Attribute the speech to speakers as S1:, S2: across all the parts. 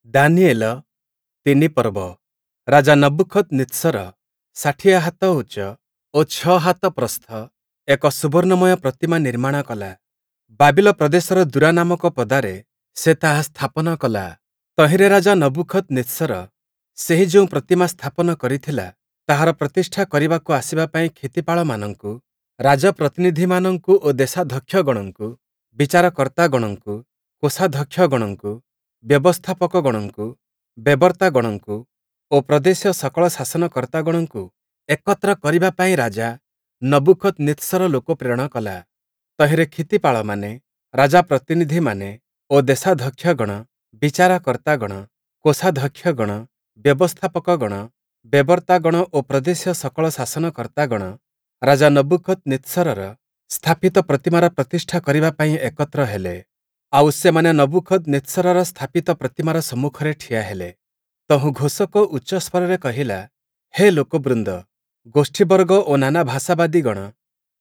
S1: ଦାନିଏଲ ତିନି ପର୍ବ ରାଜା ନବୂଖଦନିତ୍ସର 60 ହାତ ଉଚ୍ଚ ଓ 6 ହାତ ପ୍ରସ୍ଥ ଏକ ସୁବର୍ଣ୍ଣମୟ ପ୍ରତିମା ନିର୍ମାଣ କଲା। ବାବିଲ ପ୍ରଦେଶର ଦୂରା ନାମକ ପଦାରେ ସେ ତାହା ସ୍ଥାପନ କଲା। ତହିଁରେ ରାଜା ନବୂଖଦନିତ୍ସର ସେହି ଯେଉଁ ପ୍ରତିମା ସ୍ଥାପନ କରିଥିଲା, ତାହାର ପ୍ରତିଷ୍ଠା କରିବାକୁ ଆସିବା ପାଇଁ କ୍ଷିତିପାଳମାନଙ୍କୁ, ରାଜପ୍ରତିନିଧିମାନଙ୍କୁ ଓ ଦେଶାଧ୍ୟକ୍ଷଗଣଙ୍କୁ, ବିଚାରକର୍ତ୍ତାଗଣଙ୍କୁ, କୋଷାଧ୍ୟକ୍ଷଗଣଙ୍କୁ, ବ୍ୟବସ୍ଥାପକଗଣଙ୍କୁ, ବେବର୍ତ୍ତାଗଣଙ୍କୁ ଓ ପ୍ରଦେଶୀୟ ସକଳ ଶାସନକର୍ତ୍ତାଗଣଙ୍କୁ ଏକତ୍ର କରିବା ପାଇଁ ରାଜା ନବୂଖଦନିତ୍ସର ଲୋକ ପ୍ରେରଣ କଲା। ତହିଁରେ କ୍ଷିତିପାଳମାନେ, ରାଜାପ୍ରତିନିଧିମାନେ ଓ ଦେଶାଧ୍ୟକ୍ଷଗଣ, ବିଚାରକର୍ତ୍ତାଗଣ, କୋଷାଧ୍ୟକ୍ଷଗଣ, ବ୍ୟବସ୍ଥାପକଗଣ, ବେବର୍ତ୍ତାଗଣ ଓ ପ୍ରଦେଶୀୟ ସକଳ ଶାସନକର୍ତ୍ତାଗଣ ରାଜା ନବୂଖଦନିତ୍ସରର ସ୍ଥାପିତ ପ୍ରତିମାର ପ୍ରତିଷ୍ଠା କରିବା ପାଇଁ ଏକତ୍ର ହେଲେ। ଆଉ ସେମାନେ ନବୂଖଦନିତ୍ସରର ସ୍ଥାପିତ ପ୍ରତିମାର ସମ୍ମୁଖରେ ଠିଆ ହେଲେ। ତହୁଁ ଘୋଷକ ଉଚ୍ଚସ୍ୱରରେ କହିଲା, ହେ ଲୋକବୃନ୍ଦ, ଗୋଷ୍ଠୀବର୍ଗ ଓ ନାନା ଭାଷାବାଦୀଗଣ,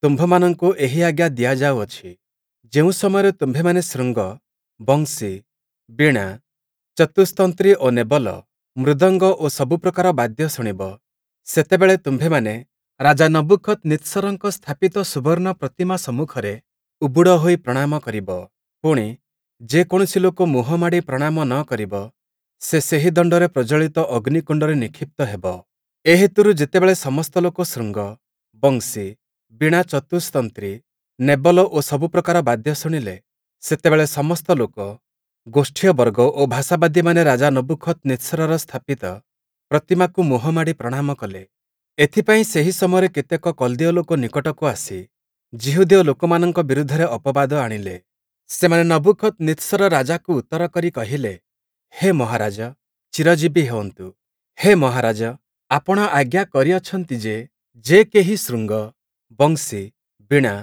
S1: ତୁମ୍ଭମାନଙ୍କୁ ଏହି ଆଜ୍ଞା ଦିଆଯାଉଅଛି, ଯେଉଁ ସମୟରେ ତୁମ୍ଭେମାନେ ଶୃଙ୍ଗ, ବଂଶୀ, ବୀଣା, ଚତୁସ୍ତନ୍ତ୍ରୀ ଓ ନେବଲ, ମୃଦଙ୍ଗ ଓ ସବୁ ପ୍ରକାର ବାଦ୍ୟ ଶୁଣିବ, ସେତେବେଳେ ତୁମ୍ଭେମାନେ ରାଜା ନବୂଖଦନିତ୍ସରଙ୍କ ସ୍ଥାପିତ ସୁବର୍ଣ୍ଣ ପ୍ରତିମା ସମ୍ମୁଖରେ ଉବୁଡ଼ ହୋଇ ପ୍ରଣାମ କରିବ। ପୁଣି, ଯେ କୌଣସି ଲୋକ ମୁହଁ ମାଡ଼ି ପ୍ରଣାମ ନ କରିବ, ସେ ସେହି ଦଣ୍ଡରେ ପ୍ରଜ୍ୱଳିତ ଅଗ୍ନିକୁଣ୍ଡରେ ନିକ୍ଷିପ୍ତ ହେବ। ଏ ହେତୁରୁ ଯେତେବେଳେ ସମସ୍ତ ଲୋକ ଶୃଙ୍ଗ, ବଂଶୀ, ବୀଣା ଚତୁସ୍ତନ୍ତ୍ରୀ, ନେବଲ ଓ ସବୁ ପ୍ରକାର ବାଦ୍ୟ ଶୁଣିଲେ, ସେତେବେଳେ ସମସ୍ତ ଲୋକ, ଗୋଷ୍ଠୀୟବର୍ଗ ଓ ଭାଷାବାଦୀମାନେ ରାଜା ନବୂଖଦନିତ୍ସରର ସ୍ଥାପିତ ପ୍ରତିମାକୁ ମୁହଁ ମାଡ଼ି ପ୍ରଣାମ କଲେ। ଏଥିପାଇଁ ସେହି ସମୟରେ କେତେକ କଲ୍ଦୀୟ ଲୋକ ନିକଟକୁ ଆସି ଯିହୁଦୀୟ ଲୋକମାନଙ୍କ ବିରୁଦ୍ଧରେ ଅପବାଦ ଆଣିଲେ। ସେମାନେ ନବୂଖଦନିତ୍ସର ରାଜାକୁ ଉତ୍ତର କରି କହିଲେ, ହେ ମହାରାଜ, ଚିରଜୀବୀ ହେଉନ୍ତୁ। ହେ ମହାରାଜ, ଆପଣ ଆଜ୍ଞା କରିଅଛନ୍ତି ଯେ, ଯେ କେହି ଶୃଙ୍ଗ, ବଂଶୀ, ବୀଣା,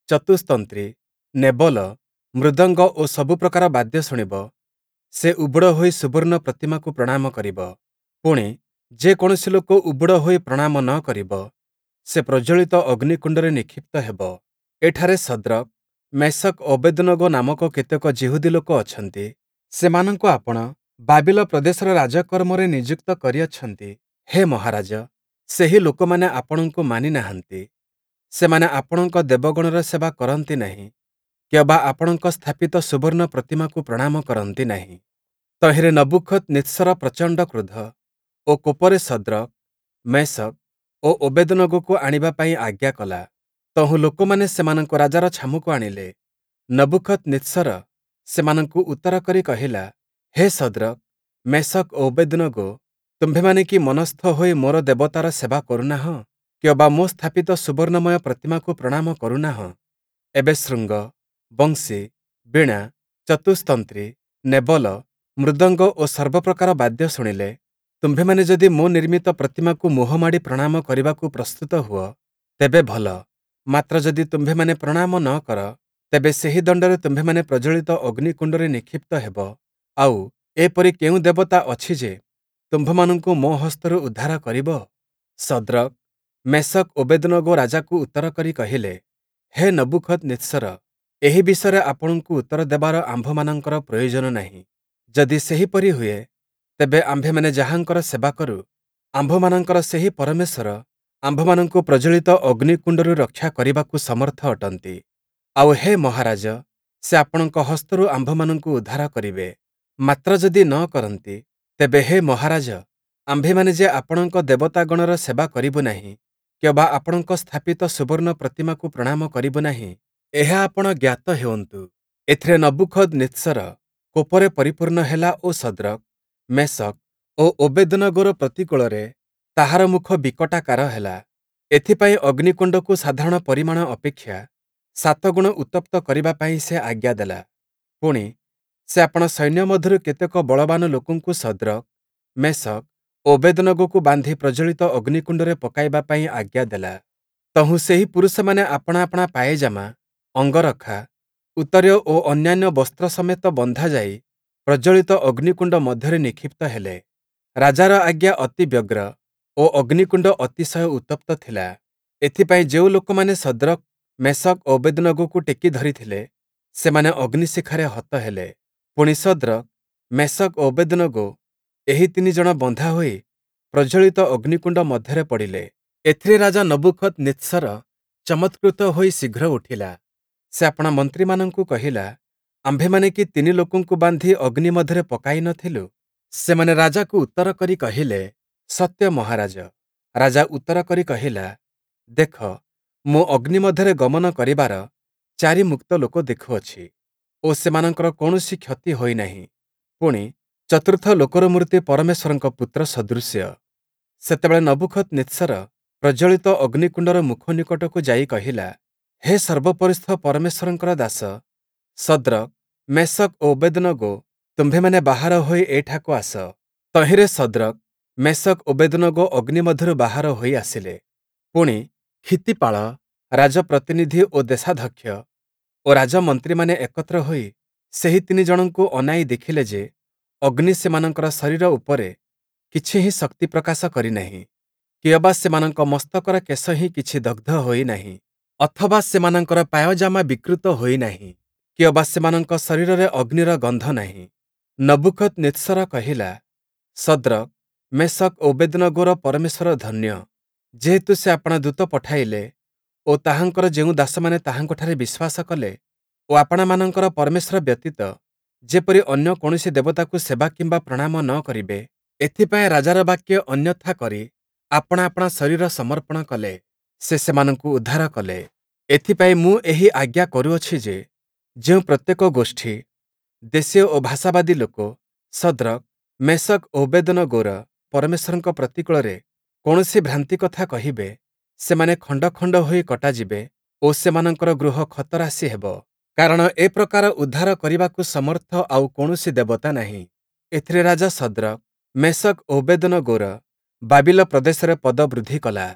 S1: ଚତୁସ୍ତନ୍ତ୍ରୀ, ନେବଲ, ମୃଦଙ୍ଗ ଓ ସବୁ ପ୍ରକାର ବାଦ୍ୟ ଶୁଣିବ, ସେ ଉବୁଡ଼ ହୋଇ ସୁବର୍ଣ୍ଣ ପ୍ରତିମାକୁ ପ୍ରଣାମ କରିବ। ପୁଣି, ଯେ କୌଣସି ଲୋକ ଉବୁଡ଼ ହୋଇ ପ୍ରଣାମ ନ କରିବ, ସେ ପ୍ରଜ୍ୱଳିତ ଅଗ୍ନିକୁଣ୍ଡରେ ନିକ୍ଷିପ୍ତ ହେବ। ଏଠାରେ ଶଦ୍ରକ୍, ମେଶକ୍ ଓ ଅବେଦ୍‌ନଗୋ ନାମକ କେତେକ ଯିହୁଦୀ ଲୋକ ଅଛନ୍ତି, ସେମାନଙ୍କୁ ଆପଣ ବାବିଲ ପ୍ରଦେଶର ରାଜକର୍ମରେ ନିଯୁକ୍ତ କରିଅଛନ୍ତି। ହେ ମହାରାଜ, ସେହି ଲୋକମାନେ ଆପଣଙ୍କୁ ମାନି ନାହାନ୍ତି। ସେମାନେ ଆପଣଙ୍କ ଦେବଗଣର ସେବା କରନ୍ତି ନାହିଁ କିଅବା ଆପଣଙ୍କ ସ୍ଥାପିତ ସୁବର୍ଣ୍ଣ ପ୍ରତିମାକୁ ପ୍ରଣାମ କରନ୍ତି ନାହିଁ। ତହିଁରେ ନବୂଖଦନିତ୍ସର ପ୍ରଚଣ୍ଡ କ୍ରୋଧ ଓ କୋପରେ ଶଦ୍ରକ୍, ମେଶକ୍ ଓ ଅବେଦ୍‌ନଗୋକୁ ଆଣିବା ପାଇଁ ଆଜ୍ଞା କଲା। ତହୁଁ ଲୋକମାନେ ସେମାନଙ୍କୁ ରାଜାର ଛାମୁକୁ ଆଣିଲେ। ନବୂଖଦନିତ୍ସର ସେମାନଙ୍କୁ ଉତ୍ତର କରି କହିଲା, ହେ ଶଦ୍ରକ୍, ମେଶକ୍ ଓ ଅବେଦ୍‌ନଗୋ, ତୁମ୍ଭେମାନେ କି ମନସ୍ଥ ହୋଇ ମୋର ଦେବତାର ସେବା କରୁନାହଁ କିଅବା ମୋ ସ୍ଥାପିତ ସୁବର୍ଣ୍ଣମୟ ପ୍ରତିମାକୁ ପ୍ରଣାମ କରୁନାହଁ? ଏବେ ଶୃଙ୍ଗ, ବଂଶୀ, ବୀଣା, ଚତୁସ୍ତନ୍ତ୍ରୀ, ନେବଲ, ମୃଦଙ୍ଗ ଓ ସର୍ବପ୍ରକାର ବାଦ୍ୟ ଶୁଣିଲେ, ତୁମ୍ଭେମାନେ ଯଦି ମୋ ନିର୍ମିତ ପ୍ରତିମାକୁ ମୁହଁ ମାଡ଼ି ପ୍ରଣାମ କରିବାକୁ ପ୍ରସ୍ତୁତ ହୁଅ, ତେବେ ଭଲ। ମାତ୍ର ଯଦି ତୁମ୍ଭେମାନେ ପ୍ରଣାମ ନ କର, ତେବେ ସେହି ଦଣ୍ଡରେ ତୁମ୍ଭେମାନେ ପ୍ରଜ୍ୱଳିତ ଅଗ୍ନିକୁଣ୍ଡରେ ନିକ୍ଷିପ୍ତ ହେବ। ଆଉ, ଏପରି କେଉଁ ଦେବତା ଅଛି ଯେ ତୁମ୍ଭମାନଙ୍କୁ ମୋ ହସ୍ତରୁ ଉଦ୍ଧାର କରିବ? ଶଦ୍ରକ୍, ମେଶକ୍ ଓ ଅବେଦ୍‌ନଗୋ ରାଜାକୁ ଉତ୍ତର କରି କହିଲେ, ହେ ନବୂଖଦନିତ୍ସର, ଏହି ବିଷୟରେ ଆପଣଙ୍କୁ ଉତ୍ତର ଦେବାର ଆମ୍ଭମାନଙ୍କର ପ୍ରୟୋଜନ ନାହିଁ। ଯଦି ସେହିପରି ହୁଏ, ତେବେ ଆମ୍ଭେମାନେ ଯାହାଙ୍କର ସେବା କରୁ, ଆମ୍ଭମାନଙ୍କର ସେହି ପରମେଶ୍ୱର ଆମ୍ଭମାନଙ୍କୁ ପ୍ରଜ୍ୱଳିତ ଅଗ୍ନିକୁଣ୍ଡରୁ ରକ୍ଷା କରିବାକୁ ସମର୍ଥ ଅଟନ୍ତି। ଆଉ ହେ ମହାରାଜ, ସେ ଆପଣଙ୍କ ହସ୍ତରୁ ଆମ୍ଭମାନଙ୍କୁ ଉଦ୍ଧାର କରିବେ। ମାତ୍ର ଯଦି ନ କରନ୍ତି, ତେବେ ହେ ମହାରାଜ, ଆମ୍ଭେମାନେ ଯେ ଆପଣଙ୍କ ଦେବତାଗଣର ସେବା କରିବୁ ନାହିଁ କିଅବା ଆପଣଙ୍କ ସ୍ଥାପିତ ସୁବର୍ଣ୍ଣ ପ୍ରତିମାକୁ ପ୍ରଣାମ କରିବୁ ନାହିଁ, ଏହା ଆପଣ ଜ୍ଞାତ ହେଉନ୍ତୁ। ଏଥିରେ ନବୂଖଦନିତ୍ସର କୋପରେ ପରିପୂର୍ଣ୍ଣ ହେଲା ଓ ଶଦ୍ରକ୍, ମେଶକ୍ ଓ ଅବେଦ୍‌ନଗୋର ପ୍ରତିକୂଳରେ ତାହାର ମୁଖ ବିକଟାକାର ହେଲା। ଏଥିପାଇଁ ଅଗ୍ନିକୁଣ୍ଡକୁ ସାଧାରଣ ପରିମାଣ ଅପେକ୍ଷା ସାତଗୁଣ ଉତ୍ତପ୍ତ କରିବା ପାଇଁ ସେ ଆଜ୍ଞା ଦେଲା। ପୁଣି, ସେ ଆପଣା ସୈନ୍ୟ ମଧ୍ୟରୁ କେତେକ ବଳବାନ ଲୋକଙ୍କୁ ଶଦ୍ରକ୍, ମେଶକ୍ ଓ ଅବେଦ୍‌ନଗୋକୁ ବାନ୍ଧି ପ୍ରଜ୍ୱଳିତ ଅଗ୍ନିକୁଣ୍ଡରେ ପକାଇବା ପାଇଁ ଆଜ୍ଞା ଦେଲା। ତହୁଁ ସେହି ପୁରୁଷମାନେ ଆପଣା ଆପଣା ପାୟଜାମା, ଅଙ୍ଗରଖା, ଉତ୍ତରୀୟ ଓ ଅନ୍ୟାନ୍ୟ ବସ୍ତ୍ର ସମେତ ବନ୍ଧାଯାଇ ପ୍ରଜ୍ୱଳିତ ଅଗ୍ନିକୁଣ୍ଡ ମଧ୍ୟରେ ନିକ୍ଷିପ୍ତ ହେଲେ। ରାଜାର ଆଜ୍ଞା ଅତି ବ୍ୟଗ୍ର ଓ ଅଗ୍ନିକୁଣ୍ଡ ଅତିଶୟ ଉତ୍ତପ୍ତ ଥିଲା। ଏଥିପାଇଁ ଯେଉଁ ଲୋକମାନେ ଶଦ୍ରକ୍, ମେଶକ୍ ଓ ଅବେଦ୍‌ନଗୋକୁ ଟେକି ଧରିଥିଲେ, ସେମାନେ ଅଗ୍ନିଶିଖାରେ ହତ ହେଲେ। ପୁଣି ଶଦ୍ରକ୍, ମେଶକ୍ ଓ ଅବେଦନଗୋ ଏହି ତିନି ଜଣ ବନ୍ଧା ହୋଇ ପ୍ରଜ୍ୱଳିତ ଅଗ୍ନିକୁଣ୍ଡ ମଧ୍ୟରେ ପଡ଼ିଲେ। ଏଥିରେ ରାଜା ନବୂଖଦନିତ୍ସର ଚମତ୍କୃତ ହୋଇ ଶୀଘ୍ର ଉଠିଲା। ସେ ଆପଣା ମନ୍ତ୍ରୀମାନଙ୍କୁ କହିଲା, ଆମ୍ଭେମାନେ କି ତିନି ଲୋକଙ୍କୁ ବାନ୍ଧି ଅଗ୍ନି ମଧ୍ୟରେ ପକାଇ ନ ଥିଲୁ? ସେମାନେ ରାଜାକୁ ଉତ୍ତର କରି କହିଲେ, ସତ୍ୟ ମହାରାଜ। ରାଜା ଉତ୍ତର କରି କହିଲା, ଦେଖ, ମୁଁ ଅଗ୍ନି ମଧ୍ୟରେ ଗମନ କରିବାର ଚାରି ମୁକ୍ତ ଲୋକ ଦେଖୁଅଛି ଓ ସେମାନଙ୍କର କୌଣସି କ୍ଷତି ହୋଇ ନାହିଁ, ପୁଣି, ଚତୁର୍ଥ ଲୋକର ମୂର୍ତ୍ତି ପରମେଶ୍ୱରଙ୍କ ପୁତ୍ର ସଦୃଶ୍ୟ। ସେତେବେଳେ ନବୂଖଦନିତ୍ସର ପ୍ରଜ୍ୱଳିତ ଅଗ୍ନିକୁଣ୍ଡର ମୁଖ ନିକଟକୁ ଯାଇ କହିଲା, ହେ ସର୍ବୋପରିସ୍ଥ ପରମେଶ୍ୱରଙ୍କର ଦାସ ଶଦ୍ରକ୍, ମେଶକ୍ ଓ ଅବେଦନଗୋ, ତୁମ୍ଭେମାନେ ବାହାର ହୋଇ ଏଠାକୁ ଆସ। ତହିଁରେ ଶଦ୍ରକ୍, ମେଶକ୍, ଅବେଦନଗୋ ଅଗ୍ନି ମଧ୍ୟରୁ ବାହାର ହୋଇ ଆସିଲେ। ପୁଣି, କ୍ଷିତିପାଳ, ରାଜପ୍ରତିନିଧି ଓ ଦେଶାଧ୍ୟକ୍ଷ ଓ ରାଜମନ୍ତ୍ରୀମାନେ ଏକତ୍ର ହୋଇ ସେହି ତିନି ଜଣଙ୍କୁ ଅନାଇ ଦେଖିଲେ ଯେ ଅଗ୍ନି ସେମାନଙ୍କର ଶରୀର ଉପରେ କିଛି ହିଁ ଶକ୍ତି ପ୍ରକାଶ କରି ନାହିଁ, କିଅବା ସେମାନଙ୍କ ମସ୍ତକର କେଶ ହିଁ କିଛି ଦଗ୍ଧ ହୋଇ ନାହିଁ, ଅଥବା ସେମାନଙ୍କର ପାୟଜାମା ବିକୃତ ହୋଇ ନାହିଁ, କିଅବା ସେମାନଙ୍କ ଶରୀରରେ ଅଗ୍ନିର ଗନ୍ଧ ନାହିଁ। ନବୂଖଦନିତ୍ସର କହିଲା, ଶଦ୍ରକ୍, ମେଶକ୍ ଓ ଅବେଦନଗୋର ପରମେଶ୍ୱର ଧନ୍ୟ, ଯେହେତୁ ସେ ଆପଣା ଦୂତ ପଠାଇଲେ ଓ ତାହାଙ୍କର ଯେଉଁ ଦାସମାନେ ତାହାଙ୍କଠାରେ ବିଶ୍ୱାସ କଲେ ଓ ଆପଣାମାନଙ୍କର ପରମେଶ୍ୱର ବ୍ୟତୀତ ଯେପରି ଅନ୍ୟ କୌଣସି ଦେବତାକୁ ସେବା କିମ୍ବା ପ୍ରଣାମ ନ କରିବେ, ଏଥିପାଇଁ ରାଜାର ବାକ୍ୟ ଅନ୍ୟଥା କରି ଆପଣା ଆପଣା ଶରୀର ସମର୍ପଣ କଲେ, ସେ ସେମାନଙ୍କୁ ଉଦ୍ଧାର କଲେ। ଏଥିପାଇଁ ମୁଁ ଏହି ଆଜ୍ଞା କରୁଅଛି ଯେ, ଯେଉଁ ପ୍ରତ୍ୟେକ ଗୋଷ୍ଠୀ, ଦେଶୀୟ ଓ ଭାଷାବାଦୀ ଲୋକ ଶଦ୍ରକ୍, ମେଶକ୍ ଓ ଅବେଦନଗୋର ପରମେଶ୍ୱରଙ୍କ ପ୍ରତିକୂଳରେ କୌଣସି ଭ୍ରାନ୍ତି କଥା କହିବେ, ସେମାନେ ଖଣ୍ଡ ଖଣ୍ଡ ହୋଇ କଟାଯିବେ ଓ ସେମାନଙ୍କର ଗୃହ ଖତରାଶି ହେବ। କାରଣ ଏ ପ୍ରକାର ଉଦ୍ଧାର କରିବାକୁ ସମର୍ଥ ଆଉ କୌଣସି ଦେବତା ନାହିଁ। ଏଥିରେ ରାଜା ଶଦ୍ରକ୍, ମେଶକ୍ ଓ ଅବେଦନଗୋର ବାବିଲ ପ୍ରଦେଶରେ ପଦ ବୃଦ୍ଧି କଲା।